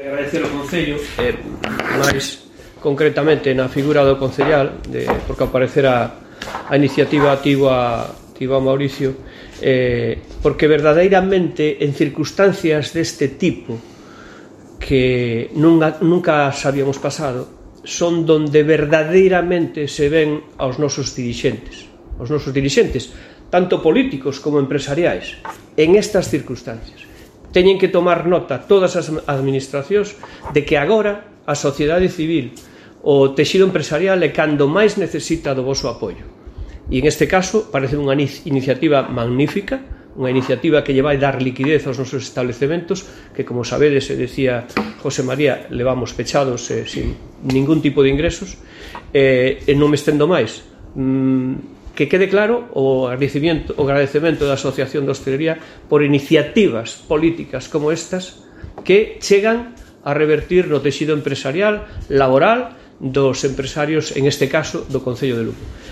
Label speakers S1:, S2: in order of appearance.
S1: Agradecer ao Concello, máis concretamente na figura do concellal, porque ao parecer a iniciativa tivo a Mauricio, porque verdadeiramente en circunstancias deste tipo que nunca sabíamos pasado, son donde verdadeiramente se ven aos nosos dirixentes, tanto políticos como empresariais, en estas circunstancias. Teñen que tomar nota todas as administracións de que agora a sociedade civil, o texido empresarial é cando máis necesita do voso apoio. E en este caso parece unha iniciativa magnífica, unha iniciativa que lle vai dar liquidez aos nosos establecementos que, como sabedes, decía José María, levamos pechados sin ningún tipo de ingresos, e non me estendo máis. Que quede claro o agradecemento da Asociación de Hostelería por iniciativas políticas como estas que chegan a revertir no texido empresarial, laboral, dos empresarios, en este caso, do Concello de Lugo.